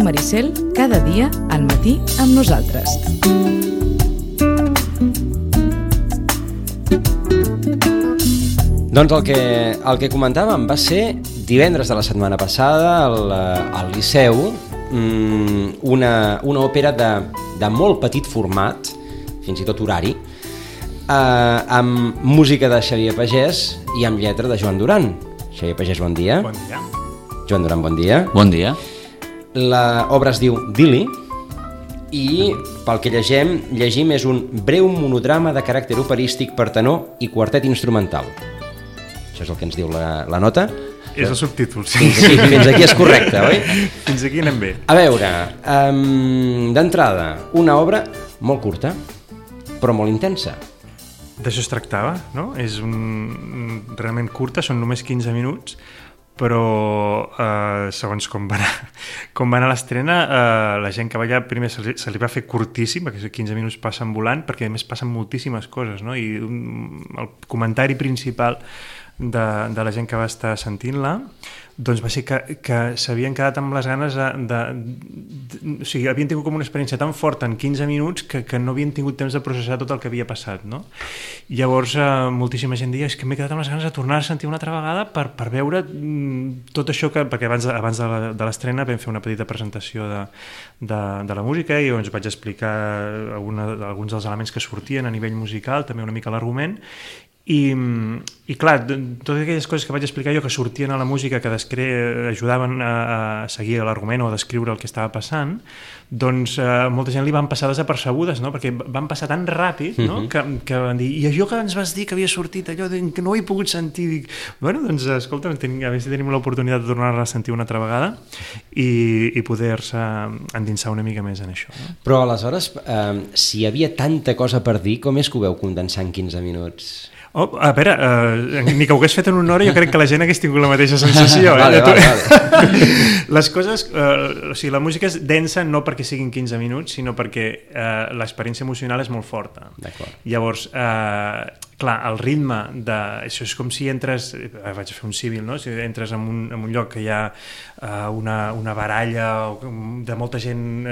Maricel, cada dia al matí amb nosaltres. Doncs el que comentàvem va ser divendres de la setmana passada al Liceu, una òpera de molt petit format, fins i tot horari, amb música de Xavier Pagès i amb lletra de Joan Duran. Xavier Pagès, bon dia. Bon dia. Joan Duran, bon dia. Bon dia. L'obra es diu Dili i, pel que llegim, és un breu monodrama de caràcter operístic per tenor i quartet instrumental. Això és el que ens diu la nota. És el subtítol, sí. Fins aquí és correcte, oi? Fins aquí anem bé. A veure, d'entrada, una obra molt curta, però molt intensa. D'això es tractava, no? És realment curta, són només 15 minuts, però segons com va anar l'estrena, la gent que va allà primer se li va fer curtíssim, perquè 15 minuts passen volant, perquè a més passen moltíssimes coses, no? I el comentari principal de la gent que va estar sentint-la doncs va ser que s'havien quedat amb les ganes o sigui, havien tingut com una experiència tan forta en 15 minuts que no havien tingut temps de processar tot el que havia passat, no? Llavors moltíssima gent deia, és que m'he quedat amb les ganes de tornar a sentir una altra vegada per veure tot això perquè abans de l'estrena vam fer una petita presentació de la música i ens vaig explicar alguns dels elements que sortien a nivell musical, també una mica l'argument. I clar, totes aquelles coses que vaig explicar jo que sortien a la música, que després ajudaven a seguir l'argument o a descriure el que estava passant, doncs molta gent li van passar desapercebudes, no? Perquè van passar tan ràpid, no? Que van dir, i allò que ens vas dir que havia sortit, allò que no ho he pogut sentir, dic, bueno, doncs escolta, a veure si tenim l'oportunitat de tornar-la a sentir una altra vegada i poder-se endinsar una mica més en això, no? Però aleshores, si hi havia tanta cosa per dir, com és que ho veu condensar en 15 minuts? A veure, ni que ho hagués fet en una hora, jo crec que la gent hagués tingut la mateixa sensació. Vale. Les coses, o sigui, la música és densa no perquè siguin 15 minuts, sinó perquè l'experiència emocional és molt forta. Llavors, clar, el ritme això és com si entres, vaig a fer un símil, no? Si entres en un lloc que hi ha una baralla de molta gent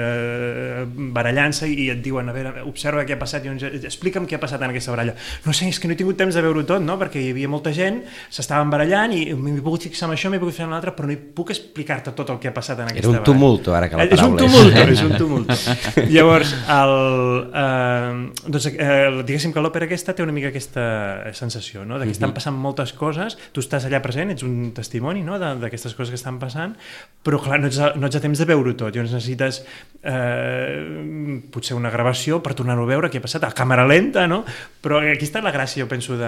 barallant-se i et diuen, a veure, observa què ha passat, explica'm què ha passat en aquesta baralla. No sé, és que no he tingut temps de veure-ho tot, no? Perquè hi havia molta gent, s'estaven barallant i m'he pogut fixar en això, m'he pogut fer en l'altre, però no hi puc explicar-te tot el que ha passat en aquesta baralla. Era un tumulto, ara que la paraula és un tumulto. Llavors, diguéssim que l'òpera aquesta té una mica aquesta sensació, no? Que estan passant moltes coses, tu estàs allà present, ets un testimoni, no? D'aquestes coses que estan passant, però clar, no ets a temps de veure-ho tot, llavors necessites potser una gravació per tornar-ho a veure què ha passat, a càmera lenta, no? Però aquí està la gràcia, jo penso, de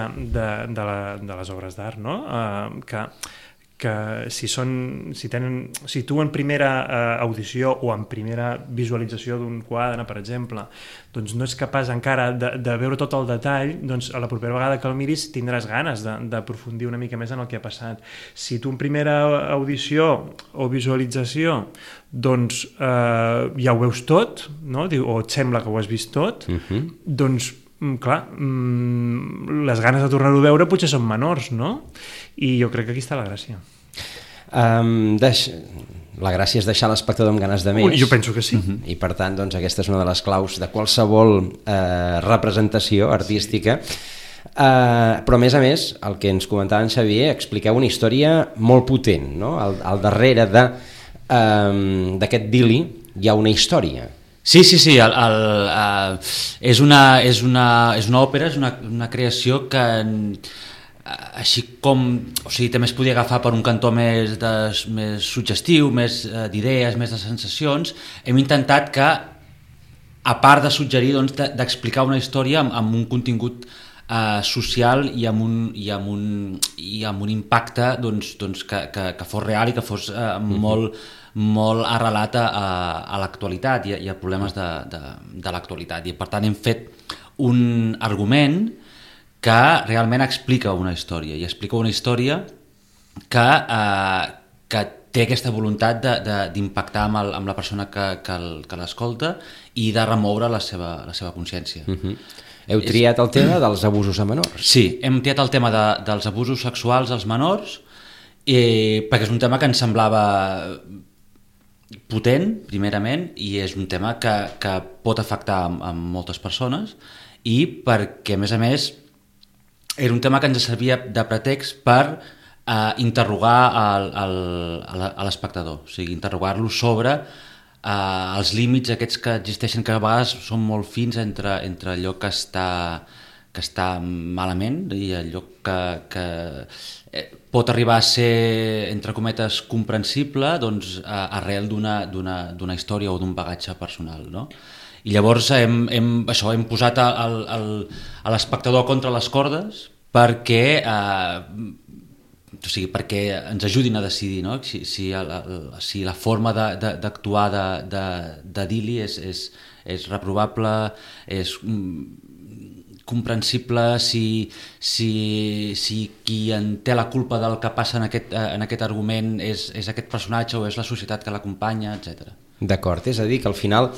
les obres d'art, no? Que si tu en primera audició o en primera visualització d'un quadre, per exemple, doncs no ets capaç encara de veure tot el detall, doncs a la propera vegada que el miris tindràs ganes d'aprofundir una mica més en el que ha passat. Si tu en primera audició o visualització doncs ja ho veus tot, no? O et sembla que ho has vist tot, doncs clar, les ganes de tornar-ho a veure potser són menors, no? I jo crec que aquí està la gràcia. La gràcia és deixar l'espectador amb ganes de més. Jo penso que sí. I per tant, doncs, aquesta és una de les claus de qualsevol representació artística. Però a més, el que ens comentava en Xavier, expliqueu una història molt potent, no? Al darrere d'aquest Dili hi ha una història. Sí, és una òpera, és una creació que així com, o sigui, també es podia agafar per un cantó més suggestiu, més d'idees, més de sensacions. Hem intentat que, a part de suggerir, doncs, d'explicar una història amb un contingut social i amb un impacte doncs, que fos real i que fos molt arrelat a l'actualitat i a problemes de l'actualitat. I per tant hem fet un argument que realment explica una història, i explica una història que té aquesta voluntat d'impactar amb la persona que l'escolta i de remoure la seva consciència. Heu triat el tema dels abusos a menors. Sí, hem triat el tema dels abusos sexuals als menors perquè és un tema que ens semblava potent, primerament, i és un tema que pot afectar a moltes persones, i perquè, a més, era un tema que ens servia de pretext per interrogar a l'espectador, o sigui, interrogar-lo sobre els límits aquests que existeixen, que a vegades són molt fins entre allò que està malament i allò que pot arribar a ser, entre cometes, comprensible, doncs, arrel d'una història o d'un bagatge personal, no? I llavors hem posat a l'espectador contra les cordes perquè ens ajudin a decidir, no? Si la forma d'actuar de Dili és reprovable, és comprensible, si qui en té la culpa del que passa en aquest argument és aquest personatge o és la societat que l'acompanya, etc. D'acord, és a dir, que al final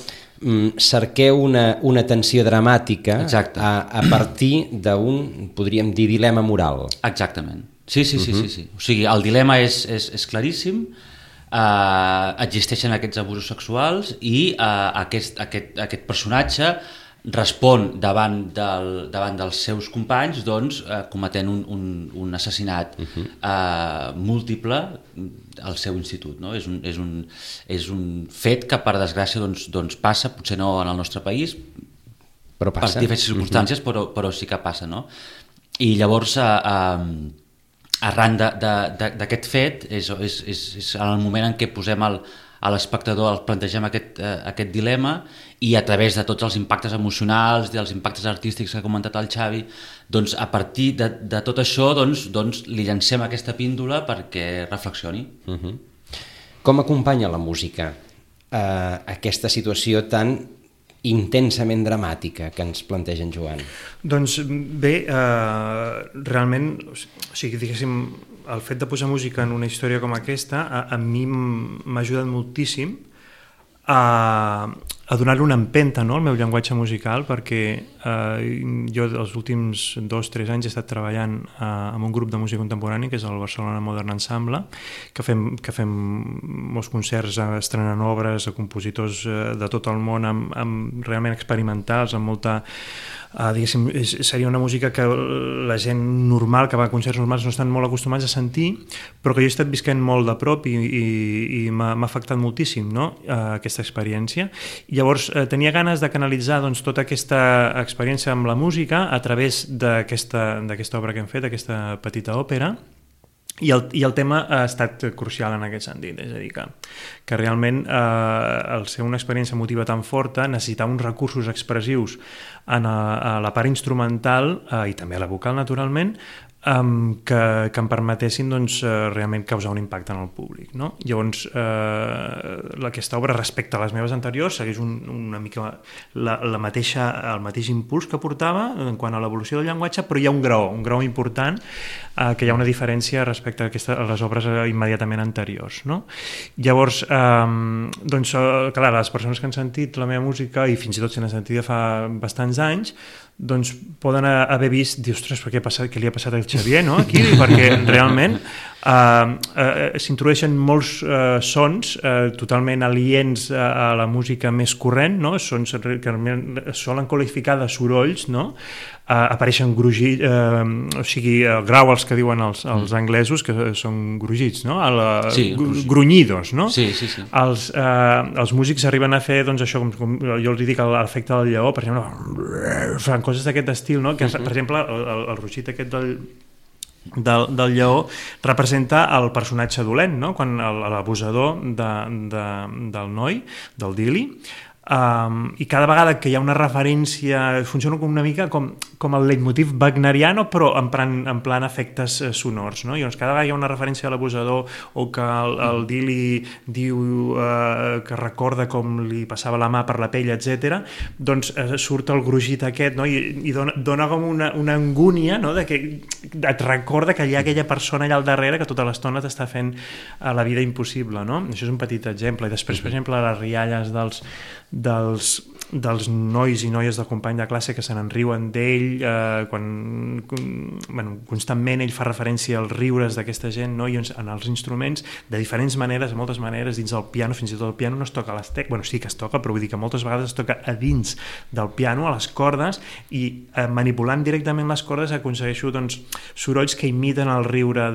cerqueu una tensió dramàtica a partir d'un, podríem dir, dilema moral. Exactament. Sí. O sigui, el dilema és claríssim, existeixen aquests abusos sexuals i aquest personatge respon davant dels seus companys, doncs, cometent un assassinat múltiple al seu institut, no? És un fet que, per desgràcia, doncs passa, potser no en el nostre país, però passa. Per diverses circumstàncies, però sí que passa, no? I llavors, arran d'aquest fet, és en el moment en què posem a l'espectador, plantegem aquest dilema, i a través de tots els impactes emocionals, dels impactes artístics que ha comentat el Xavi, doncs a partir de tot això doncs li llancem aquesta píndola perquè reflexioni. Com acompanya la música aquesta situació tan intensament dramàtica que ens planteja en Joan? Doncs bé, realment, o sigui, diguéssim, el fet de posar música en una història com aquesta a mi m'ha ajudat moltíssim a donar-li una empenta, no, al meu llenguatge musical, perquè jo els últims 2-3 anys he estat treballant amb un grup de música contemporània que és el Barcelona Modern Ensemble, que fem molts concerts estrenant obres a compositors de tot el món amb realment experimentals, amb molta diguéssim, seria una música que la gent normal, que va a concerts normals, no estan molt acostumats a sentir, però que jo he estat visquent molt de prop i m'ha afectat moltíssim, no? Aquesta experiència. I llavors tenia ganes de canalitzar doncs, tota aquesta experiència amb la música a través d'aquesta obra que hem fet, aquesta petita òpera, i el tema ha estat crucial en aquest sentit, és a dir, que realment al ser una experiència emotiva tan forta necessitava uns recursos expressius a la part instrumental i també a la vocal, naturalment, que em permetessin doncs, realment causar un impacte en el públic, no? Llavors, aquesta obra, respecte a les meves anteriors, segueix una mica el mateix impuls que portava en quant a l'evolució del llenguatge, però hi ha un graó important, que hi ha una diferència respecte a les obres immediatament anteriors, no? Llavors, doncs, clar, les persones que han sentit la meva música, i fins i tot si n'han sentit fa bastants anys, doncs poden haver vist, dir, ostres, què li ha passat al Xavier, no? Aquí, perquè realment s'introdueixen molts sons totalment aliens a la música més corrent, no? Sons que solen qualificar de sorolls, no? Apareixen grugits, o sigui, growls que diuen els anglesos, que són grugits, no? Grunyidos, no? Sí. Els músics arriben a fer, doncs, això, com jo els dic, l'efecte del lleó, per exemple, fan coses d'aquest estil, no? Que, per exemple, el rugit aquest del lleó representa el personatge dolent, no? Quan l'abusador del noi, del Dili, i cada vegada que hi ha una referència funciona una mica com el leitmotiv wagneriano, però en plan efectes sonors, no? I llavors cada vegada hi ha una referència a l'abusador o que el Dili diu que recorda com li passava la mà per la pell, etc. Doncs surt el grugit aquest, no? I dona com una angúnia, no? De que et recorda que hi ha aquella persona allà al darrere que tota l'estona t'està fent la vida impossible, no? Això és un petit exemple. I després, per exemple, les rialles dels nois i noies del company de classe que se n'enriuen d'ell constantment ell fa referència als riures d'aquesta gent, no? I en els instruments, de diferents maneres, de moltes maneres, dins del piano, fins i tot el piano no es toca a les tecles, bueno, sí que es toca, però vull dir que moltes vegades es toca a dins del piano, a les cordes, i manipulant directament les cordes aconsegueixo doncs, sorolls que imiten el riure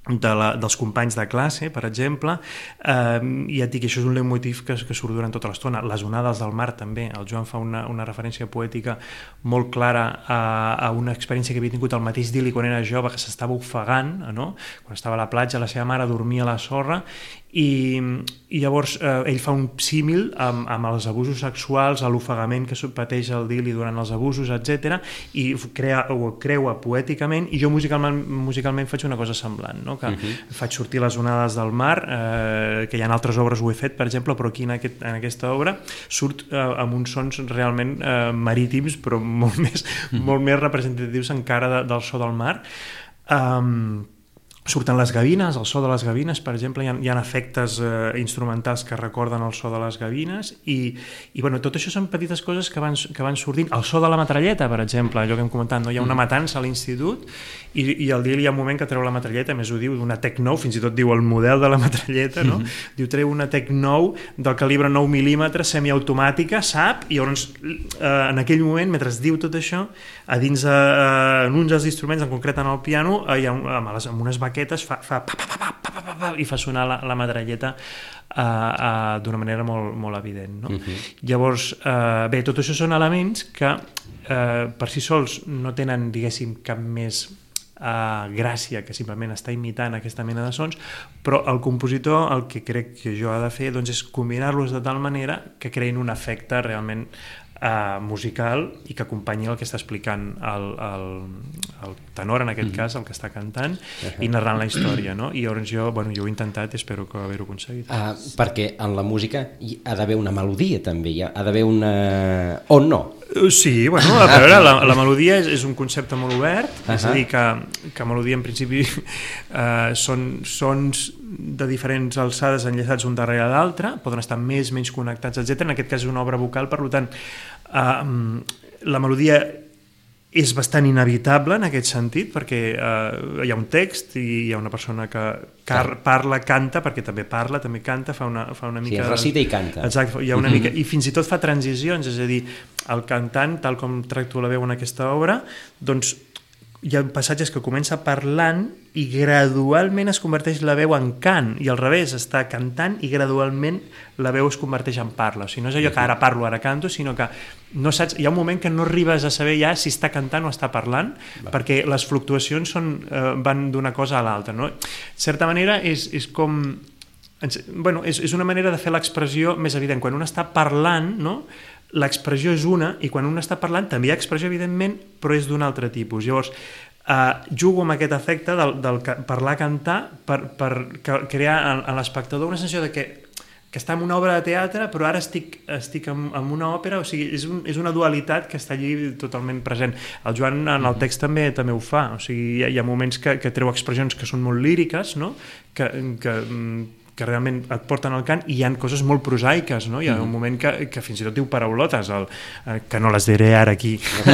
dels companys de classe, per exemple, i et dic, això és un leitmotiv que surt durant tota l'estona. Les onades del mar també, el Joan fa una referència poètica molt clara a una experiència que havia tingut el mateix Dili quan era jove, que s'estava ofegant, no? Quan estava a la platja, la seva mare dormia a la sorra, i llavors ell fa un símil amb els abusos sexuals, a l'ofegament que pateix el Dili durant els abusos, etc. I ho creua poèticament, i jo musicalment faig una cosa semblant, no? Que faig sortir les onades del mar, que hi ha altres obres ho he fet, per exemple, però aquí en aquesta obra surt amb uns sons realment marítims, però molt més representatius encara del so del mar. Surten les gavines, el so de les gavines, per exemple, hi ha efectes instrumentals que recorden el so de les gavines, i bueno, tot això són petites coses que van sortint. El so de la metralleta, per exemple, allò que hem comentat, no? Hi ha una matança a l'institut, i al dia hi ha un moment que treu la metralleta, més ho diu, d'una Tec 9, fins i tot diu el model de la metralleta, no? Diu, treu una Tec 9 del calibre 9 mil·límetres, semiautomàtica, sap? I llavors, en aquell moment, mentre es diu tot això, a dins en uns dels instruments, en concret en el piano, amb unes baquetes fa pa, pa, pa, pa, pa, pa, pa, i fa sonar la metralleta d'una manera molt evident, no? Llavors, bé, tot això són elements que per si sols no tenen, diguéssim, cap més gràcia que simplement està imitant aquesta mena de sons, però el compositor el que crec que jo ha de fer doncs, és combinar-los de tal manera que creïn un efecte realment musical i que acompanyi el que està explicant el tenor, en aquest cas, el que està cantant, i narrant la història, no? I llavors jo ho he intentat i espero que haver-ho aconseguit. Perquè en la música hi ha d'haver una melodia també, ha d'haver una... o no? Sí, bueno, a veure, la melodia és un concepte molt obert, és a dir, que melodia en principi són sons de diferents alçades enllaçats un darrere l'altre, poden estar més, menys connectats, etc. En aquest cas és una obra vocal, per tant, la melodia és bastant inevitable en aquest sentit, perquè hi ha un text i hi ha una persona que parla, canta, perquè també parla, també canta, fa una mica... Sí, recita i canta. Exacte, hi ha una mica... I fins i tot fa transicions, és a dir, el cantant, tal com tracto la veu en aquesta obra, doncs hi ha passatges que comença parlant i gradualment es converteix la veu en cant, i al revés, està cantant i gradualment la veu es converteix en parla. O sigui, no és allò que ara parlo, ara canto, sinó que no saps, hi ha un moment que no arribes a saber ja si està cantant o està parlant, perquè les fluctuacions van d'una cosa a l'altra, no? De certa manera és com... Bueno, és una manera de fer l'expressió més evident. Quan un està parlant, no? L'expressió és una, i quan un està parlant també hi ha expressió, evidentment, però és d'un altre tipus. Llavors, jugo amb aquest efecte del parlar-cantar per crear en l'espectador una sensació de que està en una obra de teatre, però ara estic en una òpera, o sigui, és una dualitat que està allí totalment present. El Joan en el text també ho fa, o sigui, hi ha moments que treu expressions que són molt líriques, no? Que realment et porten al cant, i hi ha coses molt prosaiques, no? Hi ha un moment que fins i tot diu paraulotes, que no les diré ara aquí. Sí,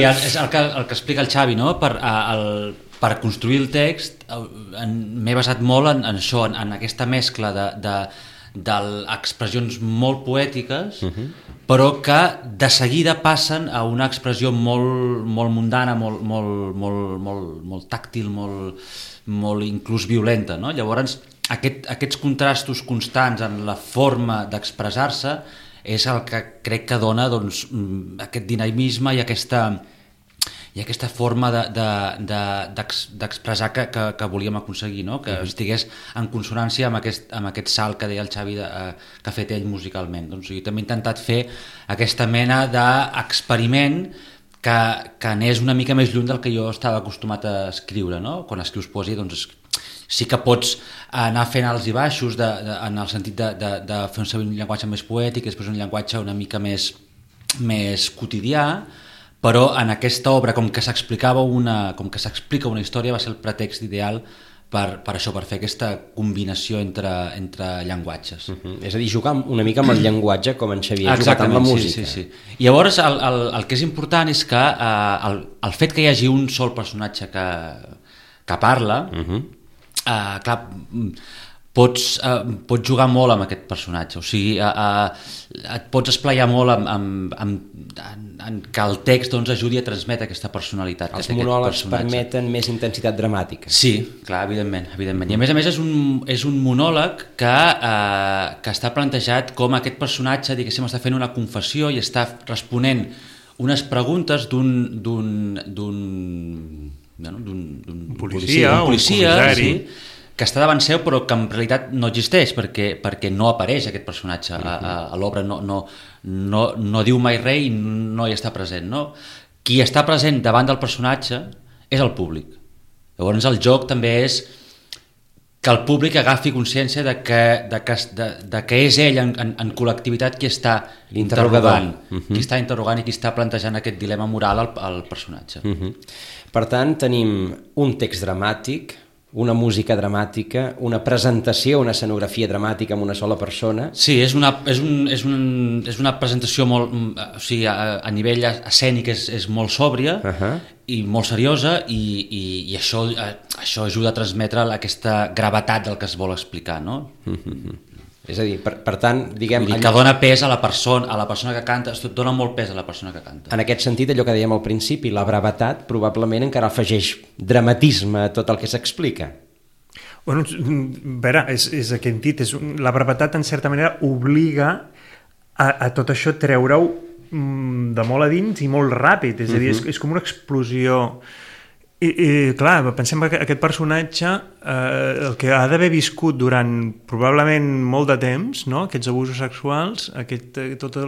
és el que explica el Xavi, no? Per construir el text m'he basat molt en això, en aquesta mescla d'expressions molt poètiques, però que de seguida passen a una expressió molt mundana, molt tàctil, molt inclús violenta, no? Llavors, aquests contrastos constants en la forma d'expressar-se és el que crec que dona, doncs, aquest dinamisme i aquesta forma d'expressar que volíem aconseguir, no? Que estigués en consonància amb aquest salt que deia el Xavi que ha fet ell musicalment. Doncs jo també he intentat fer aquesta mena d'experiment que anés una mica més lluny del que jo estava acostumat a escriure, no? Quan escrius poesia, doncs sí que pots anar fent alts i baixos en el sentit de fer un llenguatge més poètic, després un llenguatge una mica més quotidià, però en aquesta obra, com que s'explica una història, va ser el pretext ideal per això, per fer aquesta combinació entre llenguatges. És a dir, jugar una mica amb el llenguatge, com en Xavier ha jugat amb la música. Sí. I llavors el que és important és que el fet que hi hagi un sol personatge que parla, clar, pots jugar molt amb aquest personatge, o sigui, et pots esplaiar molt en que el text doncs, ajudi a transmetre aquesta personalitat. Els monòlegs permeten més intensitat dramàtica. Sí, clar, evidentment. I a més és un monòleg que està plantejat com aquest personatge, diguéssim, està fent una confessió i està responent unes preguntes d'un policia, un comissari, que està davant seu però que en realitat no existeix perquè no apareix aquest personatge a l'obra, no diu mai res i no hi està present, no? Qui està present davant del personatge és el públic. Llavors el joc també és que el públic agafi consciència de que és ell en col·lectivitat qui està interrogant, qui està interrogant i qui està plantejant aquest dilema moral al personatge. Per tant, tenim un text dramàtic, una música dramàtica, una presentació, una escenografia dramàtica amb una sola persona. Sí, és una presentació molt, o sigui, a nivell escènic és molt sòbria i molt seriosa i això ajuda a transmetre aquesta gravetat del que es vol explicar, no? És a dir, per tant, diguem... Que dona pes a la persona que canta, dona molt pes a la persona que canta. En aquest sentit, allò que dèiem al principi, la brevetat probablement encara afegeix dramatisme a tot el que s'explica. Bueno, a veure, és aquest dit, la brevetat en certa manera obliga a tot això treure-ho de molt a dins i molt ràpid, és a dir, és com una explosió. I clar, pensem que aquest personatge el que ha d'haver viscut durant probablement molt de temps, no? Aquests abusos sexuals, tota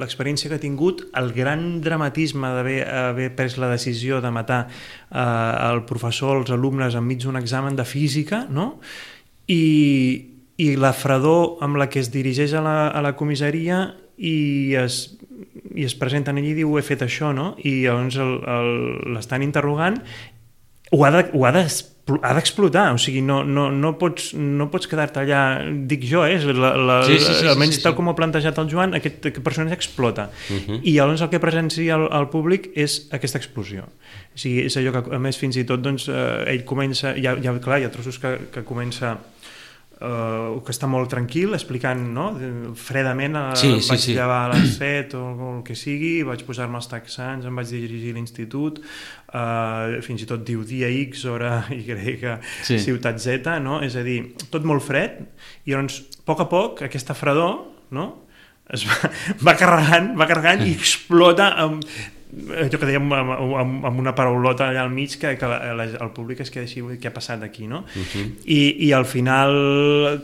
l'experiència que ha tingut, el gran dramatisme d'haver pres la decisió de matar el professor, els alumnes enmig d'un examen de física, no? I la fredor amb la que es dirigeix a la comissaria i es presenta allí i diu he fet això, no? I llavors l'estan interrogant, ho ha d'explotar, o sigui, no pots quedar-te allà, dic jo, almenys tal com ho ha plantejat el Joan, aquest personatge explota. I llavors el que presencia el públic és aquesta explosió. O sigui, és allò que, a més, fins i tot, doncs, ell comença, hi ha trossos que comença que està molt tranquil, explicant, no? Fredament, vaig llevar a les 7 o el que sigui, vaig posar-me els texans, em vaig dirigir a l'institut, fins i tot diu dia X, hora Y, ciutat Z, no? És a dir, tot molt fred, i llavors, a poc, aquesta fredor, no? Es va carregant i explota amb allò que dèiem amb una paraulota allà al mig que el públic es queda així, què ha passat aquí, no? I al final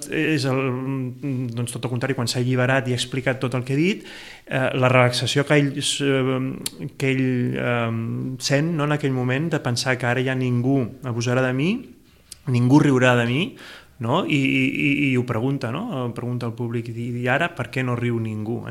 és doncs tot el contrari, quan s'ha alliberat i ha explicat tot el que ha dit, la relaxació que ell sent, no, en aquell moment, de pensar que ara ja ningú abusarà de mi, ningú riurà de mi, no? I ho pregunta, no? Pregunta al públic, i ara per què no riu ningú,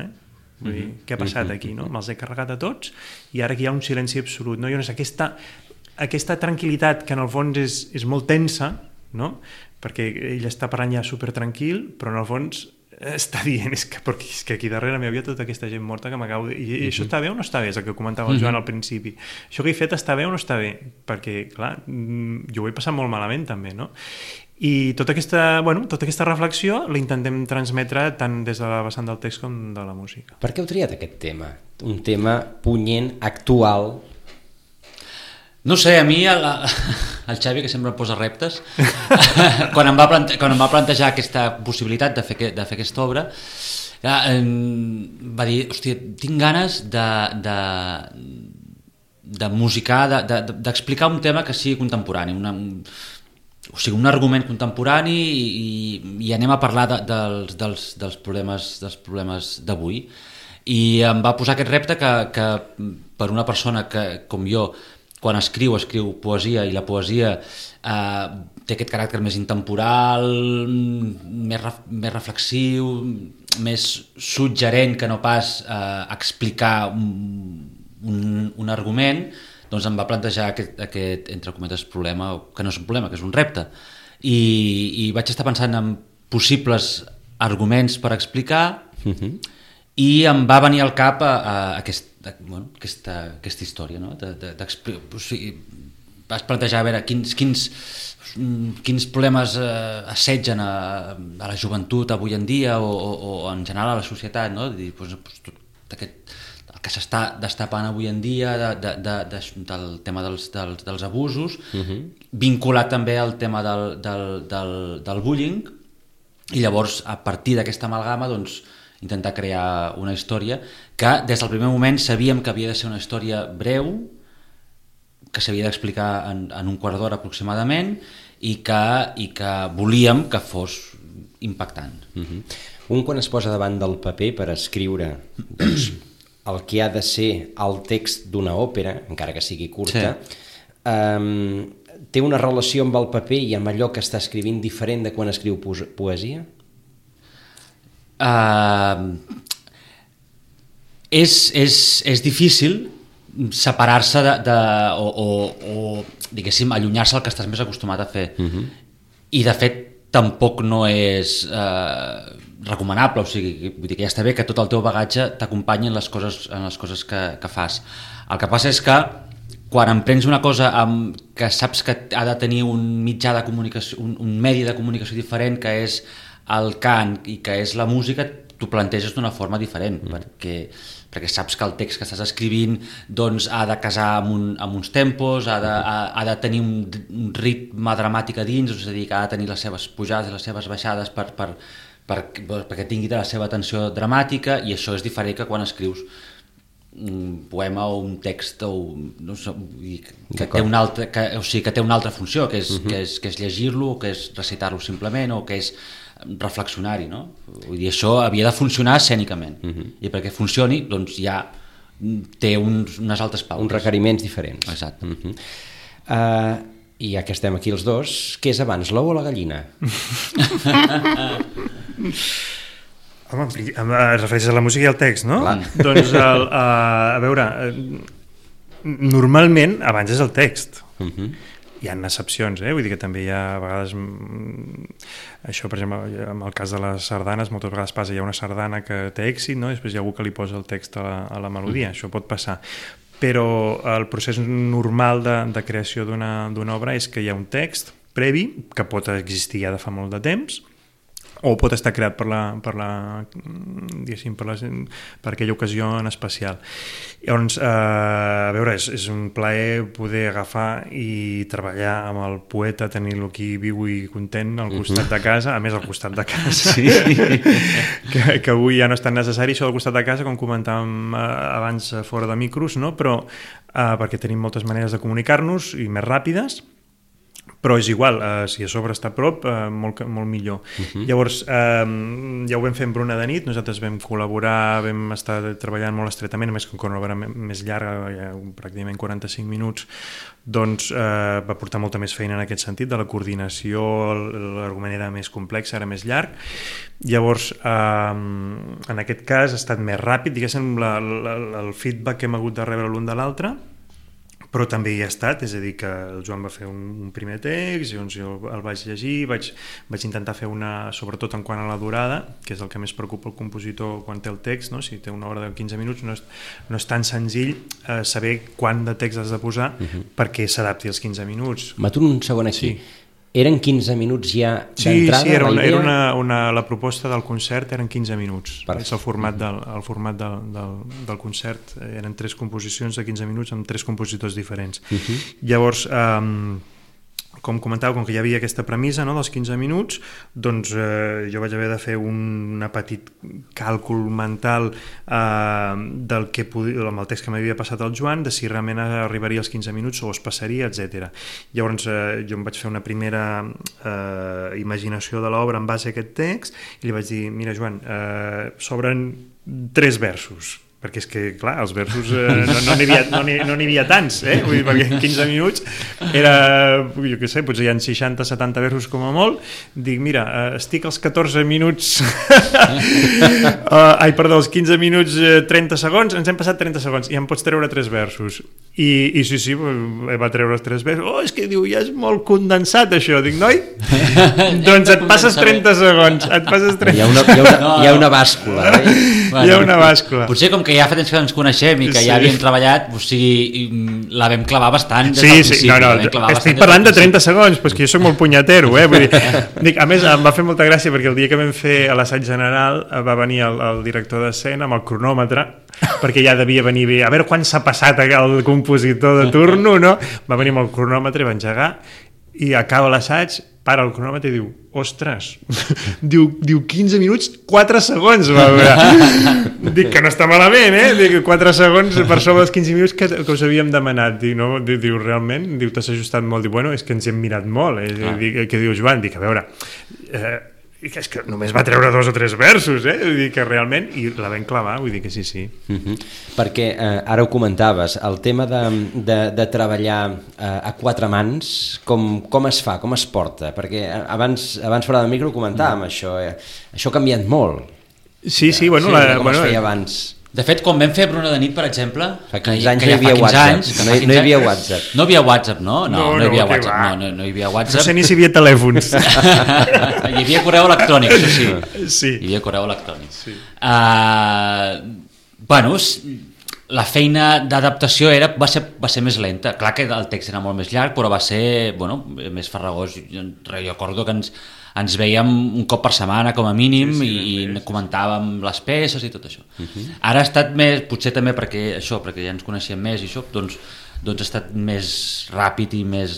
Vull dir, què ha passat aquí, no? Me'ls he carregat a tots i ara aquí hi ha un silenci absolut, no? I llavors aquesta tranquil·litat que en el fons és molt tensa, no? Perquè ell està parlant ja supertranquil, però en el fons està dient és que aquí darrere m'hi havia tota aquesta gent morta que m'acabo de... I això està bé o no està bé? És el que comentava el Joan al principi. Això que he fet està bé o no està bé? Perquè, clar, jo ho he passat molt malament també, no? I tota aquesta reflexió la intentem transmetre tant des de la vessant del text com de la música. Per què heu triat aquest tema? Un tema punyent, actual? No sé, a mi el Xavi, que sempre em posa reptes, quan em va plantejar aquesta possibilitat de fer aquesta obra, va dir, hòstia, tinc ganes de musicar, d'explicar un tema que sigui contemporani, o sigui, un argument contemporani i anem a parlar dels problemes d'avui. I em va posar aquest repte que per una persona que, com jo, quan escriu poesia, i la poesia té aquest caràcter més intemporal, més reflexiu, més suggerent que no pas explicar un argument, doncs em va plantejar aquest entre cometes, problema, que no és un problema, que és un repte. i vaig estar pensant en possibles arguments per explicar i em va venir al cap aquesta història, no? Vas plantejar a veure quins problemes assetgen a la joventut avui en dia o en general a la societat, no? Dir, el que s'està destapant avui en dia del tema dels abusos, vinculat també al tema del bullying, i llavors a partir d'aquesta amalgama doncs, intentar crear una història que des del primer moment sabíem que havia de ser una història breu, que s'havia d'explicar en un quart d'hora aproximadament i que volíem que fos impactant. Un quan es posa davant del paper per escriure doncs, el que ha de ser el text d'una òpera, encara que sigui curta, té una relació amb el paper i amb allò que està escrivint diferent de quan escriu poesia? És difícil separar-se o diguéssim, allunyar-se del que estàs més acostumat a fer. I de fet tampoc no és recomanable, o sigui, vull dir que ja està bé que tot el teu bagatge t'acompanyi en les coses que fas. El que passa és que quan emprens una cosa que saps que ha de tenir un mitjà de comunicació, un medi de comunicació diferent, que és el cant i que és la música, t'ho planteges d'una forma diferent, perquè saps que el text que estàs escrivint doncs, ha de casar amb uns tempos, ha de tenir un ritme dramàtic a dins, és a dir, que ha de tenir les seves pujades i les seves baixades perquè tingui la seva tensió dramàtica, i això és diferent que quan escrius un poema o un text no sé, que té una altra funció, que és llegir-lo, que és recitar-lo simplement, o que és reflexionar-hi, no? Vull dir, això havia de funcionar escènicament, i perquè funcioni doncs ja té unes altres pautes. Uns requeriments diferents. Exacte. I ja que estem aquí els dos, què és abans, l'ou o la gallina? Home, es refereix a la música i al text, no? Clar. Doncs, a veure, normalment abans és el text. Hi ha excepcions, vull dir que també hi ha a vegades això, per exemple, en el cas de les sardanes moltes vegades passa, hi ha una sardana que té èxit, no? Després hi ha algú que li posa el text a la melodia, això pot passar, però el procés normal de creació d'una obra és que hi ha un text previ que pot existir ja de fa molt de temps, o pot estar creat per aquella ocasió en especial. Llavors, a veure, és un plaer poder agafar i treballar amb el poeta, tenir-lo aquí viu i content al costat de casa, a més al costat de casa, sí. que avui ja no és tan necessari això del costat de casa, com comentàvem abans fora de micros, no? Però perquè tenim moltes maneres de comunicar-nos i més ràpides, però és igual, si a sobre està a prop, molt millor. Llavors, ja ho vam fer amb Bruna de nit, nosaltres vam col·laborar, vam estar treballant molt estretament, a més que una obra més llarga, pràcticament 45 minuts, doncs va portar molta més feina en aquest sentit, de la coordinació, l'argument era més complex, era més llarg. Llavors, en aquest cas ha estat més ràpid, diguéssim, el feedback que hem hagut de rebre l'un de l'altre, però també hi ha estat, és a dir, que el Joan va fer un primer text, llavors jo el vaig llegir, vaig intentar fer una, sobretot en quant a la durada, que és el que més preocupa el compositor quan té el text, no? Si té una hora de 15 minuts no és tan senzill saber quant de text has de posar perquè s'adapti als 15 minuts. M'aturo un segon aquí. Sí. Eren 15 minuts ja d'entrada? Sí, era la proposta del concert, eren 15 minuts. És el format del concert, eren 3 composicions de 15 minuts amb 3 compositors diferents. Llavors, com comentava, com que hi havia aquesta premissa, no, dels 15 minuts, doncs jo vaig haver de fer un petit càlcul mental amb el text que m'havia passat al Joan, de si realment arribaria als 15 minuts o es passaria, etc. Llavors jo em vaig fer una primera imaginació de l'obra en base a aquest text i li vaig dir, mira Joan, s'obren 3 versos, perquè és que, clar, els versos no n'hi havia tants, vull dir, perquè en 15 minuts era, jo què sé, potser hi ha 60-70 versos com a molt, dic, mira, estic als 14 minuts els 15 minuts 30 segons, ens hem passat 30 segons i em pots treure 3 versos i sí, va treure els 3 versos, és que diu, ja és molt condensat això, dic, noi, doncs et passes 30 segons, hi ha una bàscula, hi ha una bàscula. Potser com que ja fa temps que ens coneixem i que ja havíem treballat, o sigui, la vam clavar bastant des del principi. Estic parlant de 30 segons, però és que jo soc molt punyatero, vull dir, a més em va fer molta gràcia perquè el dia que vam fer a l'assaig general va venir el director d'escena amb el cronòmetre, perquè ja devia venir bé, a veure quan s'ha passat el compositor de turno, no? Va venir amb el cronòmetre i va engegar i acaba l'assaig, para el cronòmetre i diu, ostres, diu 15 minuts, 4 segons, va veure. Dic que no està malament, dic 4 segons per sobre dels 15 minuts que us havíem demanat. Diu, realment? Diu, t'has ajustat molt. Diu, bueno, és que ens hem mirat molt. Què diu Joan? Dic, a veure, és que només va treure 2 o 3 versos, vull dir que realment, i la vam clavar, vull dir que sí. Perquè ara ho comentaves, el tema de treballar a 4 mans, com es fa, com es porta? Perquè abans fora del micro comentàvem això ha canviat molt. Sí, bueno, com es feia abans. De fet, quan vam fer Bruna de nit, per exemple, fa 15 anys no hi havia WhatsApp. No hi havia WhatsApp. No hi havia WhatsApp, no? No hi havia WhatsApp. No hi havia WhatsApp. No sé ni si hi havia telèfons. Hi havia correu electrònic, això sí. Hi havia correu electrònic. Bueno, la feina d'adaptació va ser més lenta. Clar que el text era molt més llarg, però va ser més farragós. Jo recordo que ens veiem un cop per setmana com a mínim i comentàvem les peces i tot això. Ara ha estat més, potser també perquè ja ens coneixem més i això, doncs ha estat més ràpid i més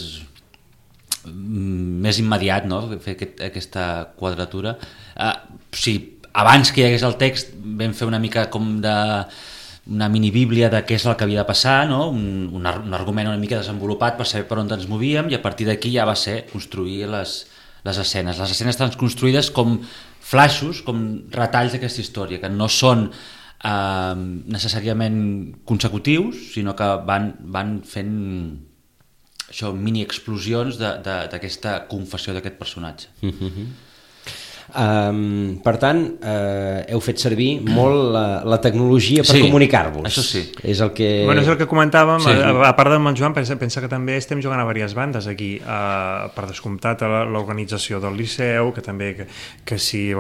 immediat, no? Fer aquesta quadratura. Abans que hi hagués el text vam fer una mica com una minibíblia de què és el que havia de passar, no? Un argument una mica desenvolupat per saber per on ens movíem i a partir d'aquí ja va ser construir les escenes. Les escenes estan construïdes com flaixos, com retalls d'aquesta història, que no són necessàriament consecutius, sinó que van fent això, mini explosions d'aquesta confessió d'aquest personatge. Per tant, heu fet servir molt la tecnologia per comunicar-vos. Això sí. És el que... Bueno, és el que comentàvem, a part del Joan, pensa que també estem jugant a diverses bandes aquí, per descomptat l'organització del Liceu, que també que si,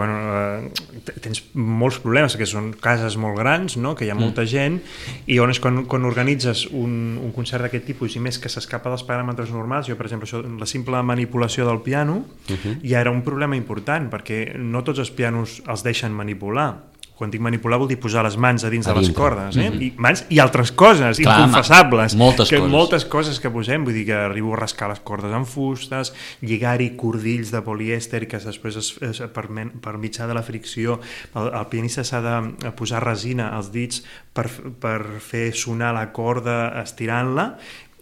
tens molts problemes, que són cases molt grans, no? Que hi ha molta gent, i quan organitzes un concert d'aquest tipus, i més que s'escapa dels paràmetres normals, jo, per exemple, la simple manipulació del piano ja era un problema important, perquè no tots els pianos els deixen manipular. Quan dic manipular vol dir posar les mans a dins de les cordes, i mans i altres coses, inconfessables. Moltes coses que posem, vull dir que arribo a rascar les cordes amb fustes, lligar-hi cordills de polièster que després per mitjà de la fricció el pianista s'ha de posar resina als dits per fer sonar la corda estirant-la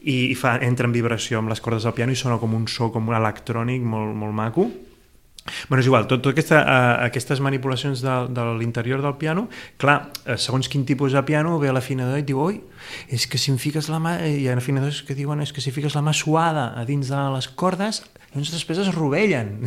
i entra en vibració amb les cordes del piano i sona com un so com un electrònic molt maco. Bueno, és igual, totes aquestes manipulacions de l'interior del piano, clar, segons quin tipus de piano ve a l'afinador i et diu, oi, és que si em fiques la mà, hi ha afinadors que diuen és que si fiques la mà suada a dins de les cordes, llavors després es rovellen.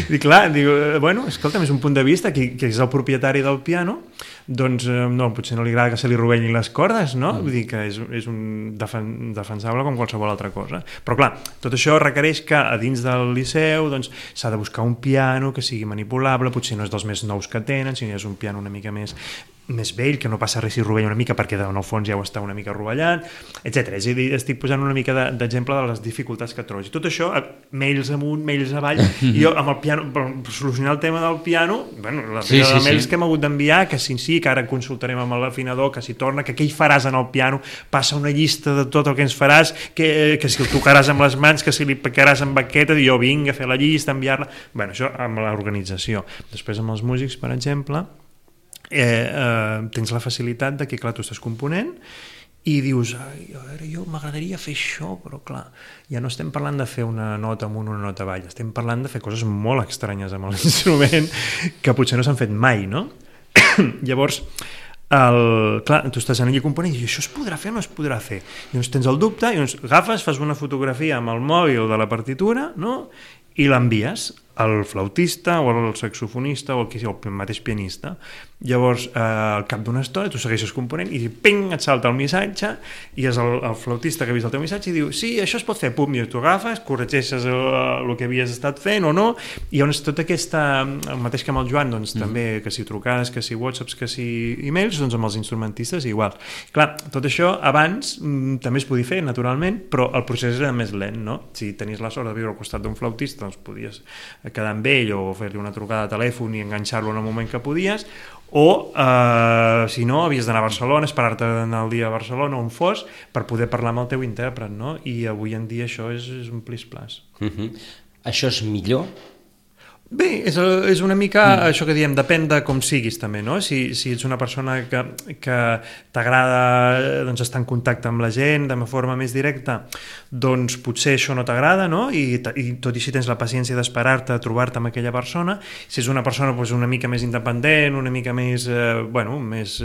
I clar, diu, bueno, escolta'm, és un punt de vista, que és el propietari del piano, doncs no, potser no li agrada que se li rovellin les cordes, no? Vull dir que és un defensable com qualsevol altra cosa. Però clar, tot això requereix que a dins del Liceu s'ha de buscar un piano que sigui manipulable, potser no és dels més nous que tenen, sinó és un piano una mica més vell, que no passa res si rovella una mica perquè en el fons ja ho està una mica rovellant, etc. És a dir, estic posant una mica d'exemple de les dificultats que trobes. I tot això, mails amunt, mails avall, i jo amb el piano, per solucionar el tema del piano, la fila de mails que hem hagut d'enviar, que sí, que ara consultarem amb l'afinador, que si torna, que què hi faràs en el piano, passa una llista de tot el que ens faràs, que si el tocaràs amb les mans, que si li picaràs amb baqueta, i jo vinc a fer la llista, enviar-la... Bueno, això amb l'organització. Després amb els músics, per exemple, tens la facilitat de que, clar, tu estàs component i dius, a veure, jo m'agradaria fer això, però clar, ja no estem parlant de fer una nota amunt, una nota avall, estem parlant de fer coses molt estranyes amb l'instrument que potser no s'han fet mai, no? Llavors, clar, tu estàs allà component i això es podrà fer o no es podrà fer? I llavors tens el dubte i llavors agafes, fas una fotografia amb el mòbil de la partitura, no? I l'envies al flautista o al saxofonista o al mateix pianista. Llavors, al cap d'una estona, tu segueixes component i ping, et salta el missatge i és el flautista que ha vist el teu missatge i diu, sí, això es pot fer, pum, i tu agafes, corregeixes el que havies estat fent o no, i llavors tota aquesta, el mateix que amb el Joan, doncs també, que si trucades, que si whatsapps, que si e-mails, doncs amb els instrumentistes igual. Clar, tot això abans també es podia fer, naturalment, però el procés era més lent, no? Si tenies la sort de viure al costat d'un flautista, doncs podies quedar amb ell o fer-li una trucada de telèfon i enganxar-lo en el moment que podies, o si no, havies d'anar a Barcelona, esperar-te d'anar el dia a Barcelona on fos per poder parlar amb el teu intèrpret, no? I avui en dia això és un plis-plas. Això és millor? Bé, és una mica això que diem, depèn de com siguis també, no? Si ets una persona que t'agrada doncs, estar en contacte amb la gent de forma més directa, doncs potser això no t'agrada, no? I tot i així tens la paciència d'esperar-te a trobar-te amb aquella persona. Si és una persona doncs, una mica més independent, una mica més, més,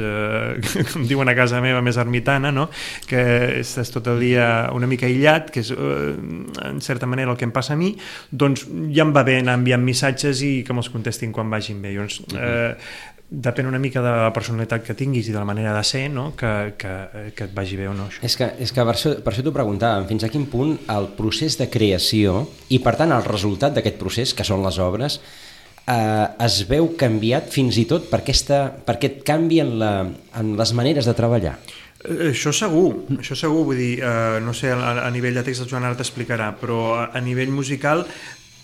com diuen a casa meva, més ermitana, no? Que estàs tot el dia una mica aïllat, que és en certa manera el que em passa a mi, doncs ja em va bé anar enviant missatges i que me'ls contestin quan vagin bé. Llavors, depèn una mica de la personalitat que tinguis i de la manera de ser, no? que et vagi bé o no. Això. És que per això t'ho preguntàvem, fins a quin punt el procés de creació i per tant el resultat d'aquest procés, que són les obres, es veu canviat fins i tot per aquest canvi en les maneres de treballar. Això segur, vull dir, no sé, a nivell de text el Joan ara t'explicarà, però a nivell musical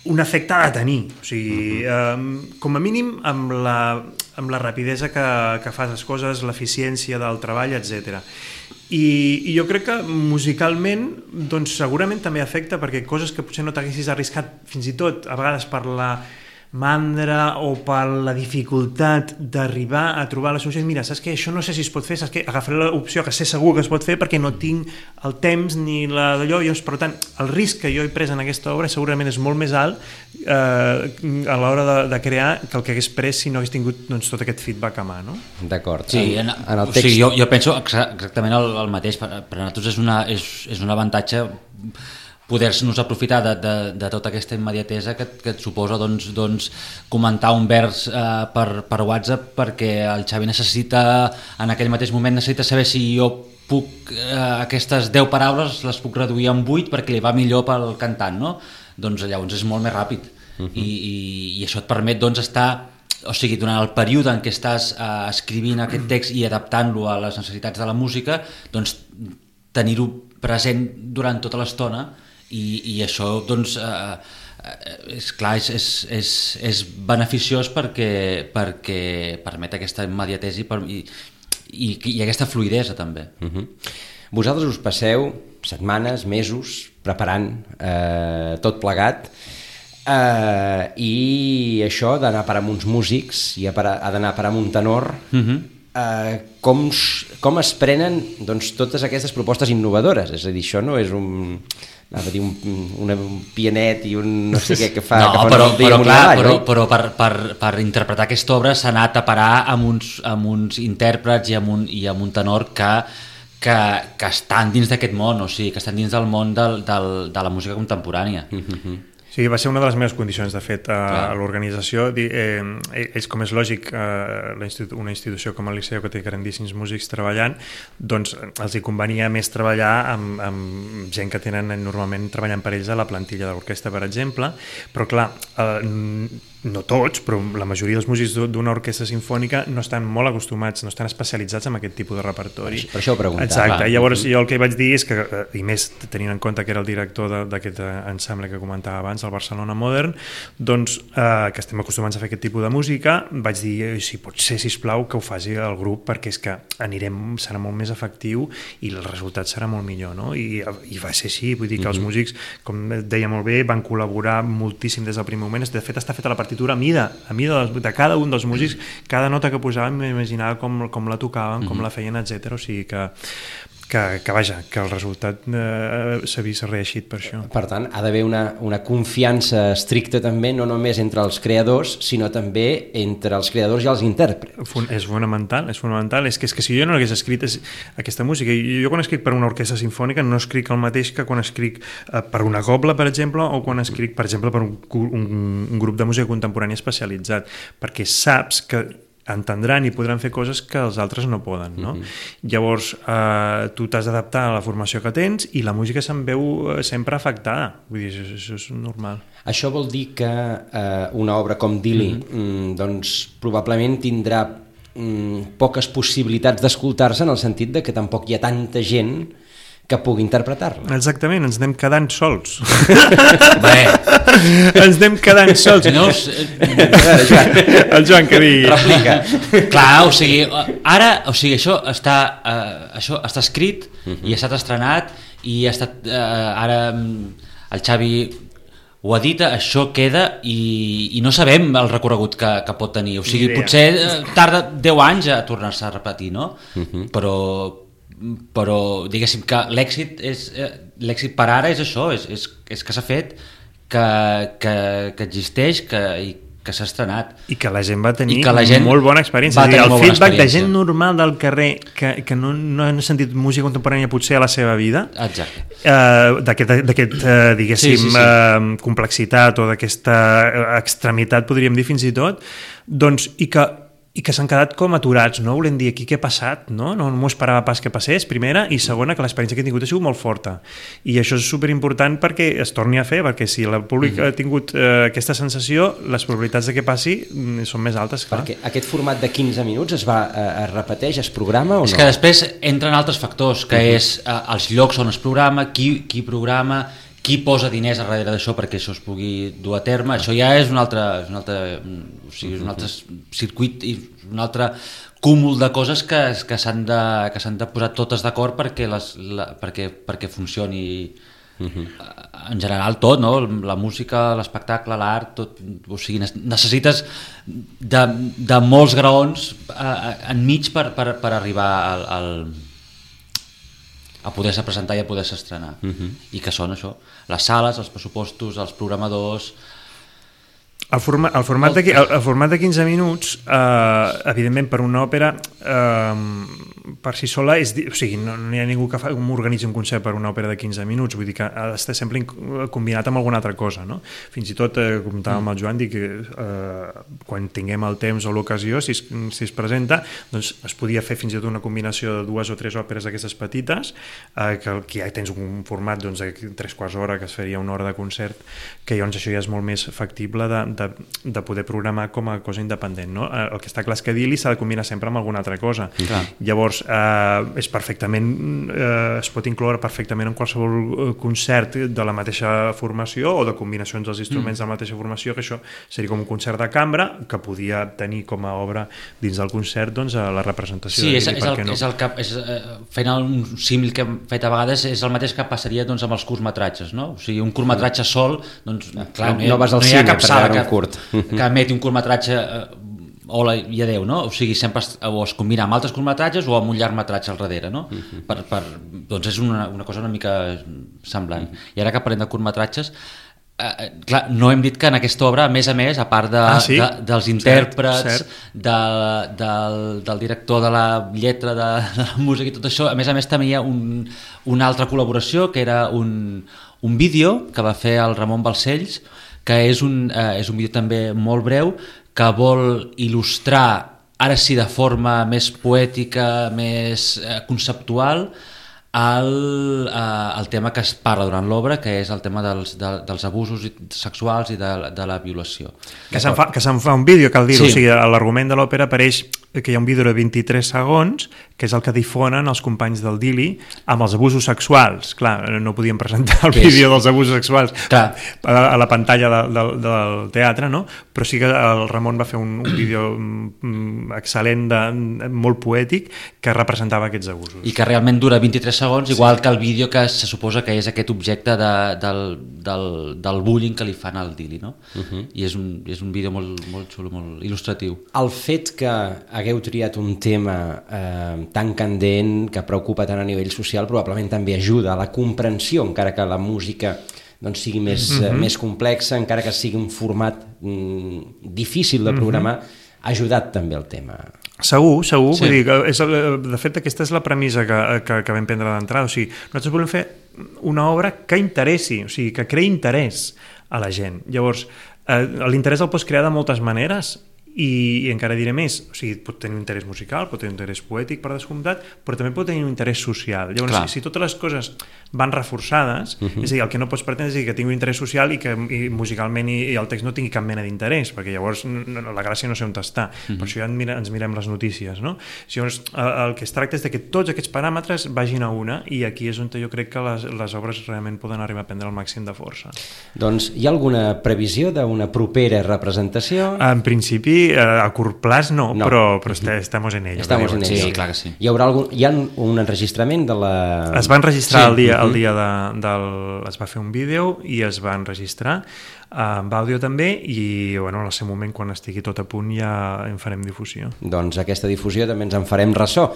un efecte ha de tenir, o sigui, com a mínim amb la rapidesa que fas les coses, l'eficiència del treball, etc. I jo crec que musicalment doncs segurament també afecta perquè coses que potser no t'haguessis arriscat fins i tot a vegades per la mandra o per la dificultat d'arribar a trobar la solució. Mira, saps què? Això no sé si es pot fer, saps què? Agafaré l'opció que sé segur que es pot fer perquè no tinc el temps ni d'allò. Per tant, el risc que jo he pres en aquesta obra segurament és molt més alt a l'hora de crear que el que hagués pres si no hagués tingut doncs, tot aquest feedback a mà, no? D'acord. Sí, en el text... Sí, jo penso exactament el mateix. Per a nosaltres és un avantatge poder-nos aprofitar de tota aquesta immediatesa que et suposa doncs, comentar un vers per WhatsApp perquè el Xavi necessita, en aquell mateix moment necessita saber si jo puc, aquestes 10 paraules les puc reduir en 8 perquè li va millor pel cantant, no? Doncs llavors és molt més ràpid. I això et permet doncs, estar, o sigui, durant el període en què estàs escrivint aquest text i adaptant-lo a les necessitats de la música, doncs tenir-ho present durant tota l'estona. I això doncs és clar, és beneficiós perquè permet aquesta immediatesa i aquesta fluïdesa també. Vosaltres us passeu setmanes, mesos preparant tot plegat i això d'anar a parar amb uns músics i ha d'anar a parar amb un tenor. Com es prenen doncs, totes aquestes propostes innovadores? És a dir, això no és un pianet i un no sé què que fa... No, però per interpretar aquesta obra s'ha anat a parar amb uns intèrprets i amb un tenor que estan dins d'aquest món, o sigui, que estan dins del món de la música contemporània. Sí, va ser una de les meves condicions, de fet, a l'organització. Ells, com és lògic, una institució com el Liceu, que té grandíssims músics treballant, doncs els hi convenia més treballar amb gent que tenen normalment treballant per ells a la plantilla de l'orquestra, per exemple, però clar, no tots, però la majoria dels músics d'una orquestra sinfònica no estan molt acostumats, no estan especialitzats en aquest tipus de repertori. Per això ho preguntava. Exacte, llavors jo el que vaig dir és que, i més tenint en compte que era el director d'aquest ensemble que comentava abans, el Barcelona Modern, doncs que estem acostumats a fer aquest tipus de música, vaig dir, si pot ser, sisplau, que ho faci el grup, perquè és que serà molt més efectiu i el resultat serà molt millor, no? I va ser així, vull dir que els músics, com deia molt bé, van col·laborar moltíssim des del primer moment. De fet, està feta la partitura a mida de cada un dels músics, cada nota que posaven m'imaginava com la tocaven, com la feien, etc. O sigui que vaja, que el resultat s'ha vist reeixit per això. Per tant, ha d'haver una confiança estricta també, no només entre els creadors, sinó també entre els creadors i els intèrprets. És fonamental. És que si jo no hagués escrit aquesta música, jo quan escric per una orquestra sinfònica no escric el mateix que quan escric per una cobla, per exemple, o quan escric, per exemple, per un grup de música contemporània especialitzat, perquè saps que entendran i podran fer coses que els altres no poden, no? Llavors, tu t'has d'adaptar a la formació que tens i la música se'n veu sempre afectada. Vull dir, això és normal. Això vol dir que una obra com Dili doncs probablement tindrà poques possibilitats d'escoltar-se, en el sentit de que tampoc hi ha tanta gent que pugui interpretar-la. Exactament, ens anem quedant sols. Bé, Ens anem quedant sols. senyors, El Joan que digui. Replica. clar, o sigui, ara, això està escrit i ha estat estrenat i ha estat, ara el Xavi ho ha dit, això queda i no sabem el recorregut que pot tenir, o sigui, potser tarda 10 anys a tornar-se a repetir, no? Però diguéssim que l'èxit per ara és això, és que s'ha fet, que existeix, que s'ha estrenat. I que la gent va tenir gent molt bona experiència. va tenir el molt bona feedback de experiència. gent normal del carrer que no han sentit música contemporània potser a la seva vida, Exacte. d'aquest diguéssim, Sí. complexitat o d'aquesta extremitat, podríem dir fins i tot, doncs, i que s'han quedat com aturats, no? Volem dir, aquí què ha passat, no? No m'ho esperava pas que passés, primera, i segona, que l'experiència que he tingut ha sigut molt forta. I això és superimportant perquè es torni a fer, perquè si el públic ha tingut aquesta sensació, les probabilitats de que passi són més altes, clar. Perquè aquest format de 15 minuts es repeteix, es programa o no? És que després entren altres factors, que és els llocs on es programa, qui programa, qui posa diners a darrere d'això perquè això es pugui dur a terme. Això ja és un altre circuit i un altre cúmul de coses que s'han de posar totes d'acord perquè funcioni en general tot, no? La música, l'espectacle, l'art, tot, o sigui, necessites de molts graons enmig per arribar a poder-se presentar i a poder-se estrenar. I que són això, les sales, els pressupostos, els programadors. El format de 15 minuts, evidentment, per una òpera, per si sola, o sigui, no hi ha ningú que organitzi un concert per una òpera de 15 minuts, vull dir que ha d'estar sempre combinat amb alguna altra cosa, no? Fins i tot, comentava amb el Joan, dic que quan tinguem el temps o l'ocasió, si es presenta, doncs es podia fer fins i tot una combinació de 2 o 3 òperes d'aquestes petites, que ja tens un format de 3/4 hora, que es faria 1 hora de concert, que llavors això ja és molt més factible de poder programar com a cosa independent, no? El que està clar és que Dili s'ha de combinar sempre amb alguna altra cosa. Llavors, es pot incloure perfectament en qualsevol concert de la mateixa formació o de combinacions dels instruments de la mateixa formació, que això seria com un concert de cambra que podia tenir com a obra dins del concert, doncs, la representació de Dili, per què no? Fent un símil que hem fet a vegades, és el mateix que passaria doncs, amb els curtmetratges, no? O sigui, un curtmetratge sol, doncs, clar, no vas al hi ha cine cap per sala veure un curt. que emeti un curtmetratge hola i adeu, no? O sigui, sempre es combina amb altres curtmetratges o amb un llargmetratge al darrere, no? Doncs és una cosa una mica semblant. I ara que parlem de curtmetratges, clar, no hem dit que en aquesta obra, a més, a part dels intèrprets, del director de la lletra, de la música i tot això, a més també hi ha una altra col·laboració, que era un vídeo que va fer el Ramon Balcells, que és un vídeo també molt breu, que vol il·lustrar, ara sí de forma més poètica, més conceptual, el tema que es parla durant l'obra, que és el tema dels abusos sexuals i de la violació. Que se'n fa un vídeo, cal dir-ho, Sí. o sigui, a l'argument de l'òpera apareix que hi ha un vídeo de 23 segons, que és el que difonen els companys del Dili amb els abusos sexuals. Clar, no podíem presentar el vídeo dels abusos sexuals a la pantalla del teatre, no? Però sí que el Ramon va fer un vídeo excel·lent, molt poètic, que representava aquests abusos. I que realment dura 23 segons, igual que el vídeo que se suposa que és aquest objecte del bullying que li fan al Dili, no? I és un vídeo molt xulo, molt il·lustratiu. El fet que hagueu triat un tema tan candent, que preocupa tant a nivell social, probablement també ajuda a la comprensió, encara que la música doncs, sigui més complexa, encara que sigui un format difícil de programar, ha ajudat també el tema. Segur. Sí. Vull dir, de fet, aquesta és la premissa que vam prendre d'entrada. O sigui, nosaltres volem fer una obra que interessi, o sigui, que creï interès a la gent. Llavors, l'interès el pots crear de moltes maneres i encara diré més, o sigui, pot tenir un interès musical, pot tenir un interès poètic per descomptat, però també pot tenir un interès social. Llavors, si totes les coses van reforçades, és a dir, el que no pots pretendre és que tingui un interès social i que musicalment i el text no tingui cap mena d'interès, perquè llavors la gràcia no sé on està. Per això ja ens mirem les notícies, no? Llavors, el que es tracta és que tots aquests paràmetres vagin a una, i aquí és on jo crec que les obres realment poden arribar a prendre el màxim de força. Doncs hi ha alguna previsió d'una propera representació? En principi, a curt plaç no. Però estamos en ello. Sí, clar que sí. Hi ha un enregistrament de la... Es va enregistrar el dia es va fer un vídeo i es va enregistrar amb àudio també, i en el seu moment, quan estigui tot a punt, ja en farem difusió. Doncs aquesta difusió també ens en farem ressò.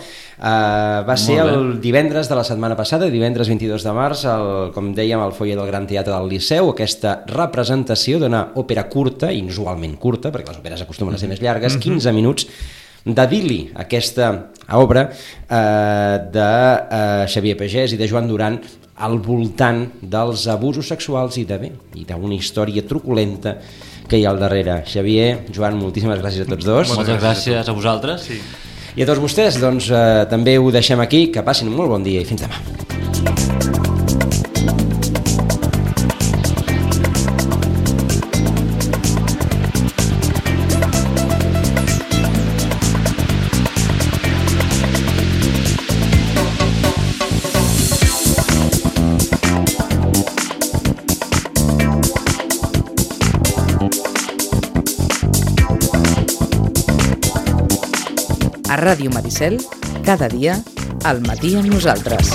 Va ser el divendres de la setmana passada, divendres 22 de març, com dèiem, al foyer del Gran Teatre del Liceu, aquesta representació d'una òpera curta, inusualment curta, perquè les òperes acostumen a ser més llargues, 15 minuts, de Dili, aquesta obra de Xavier Pagès i de Joan Duran, al voltant dels abusos sexuals i d'una història truculenta que hi ha al darrere. Xavier, Joan, moltíssimes gràcies a tots dos. Moltes gràcies a vosaltres. Sí. I a tots vostès, doncs, també ho deixem aquí. Que passin un molt bon dia i fins demà. A Ràdio Maricel, cada dia, al matí amb nosaltres.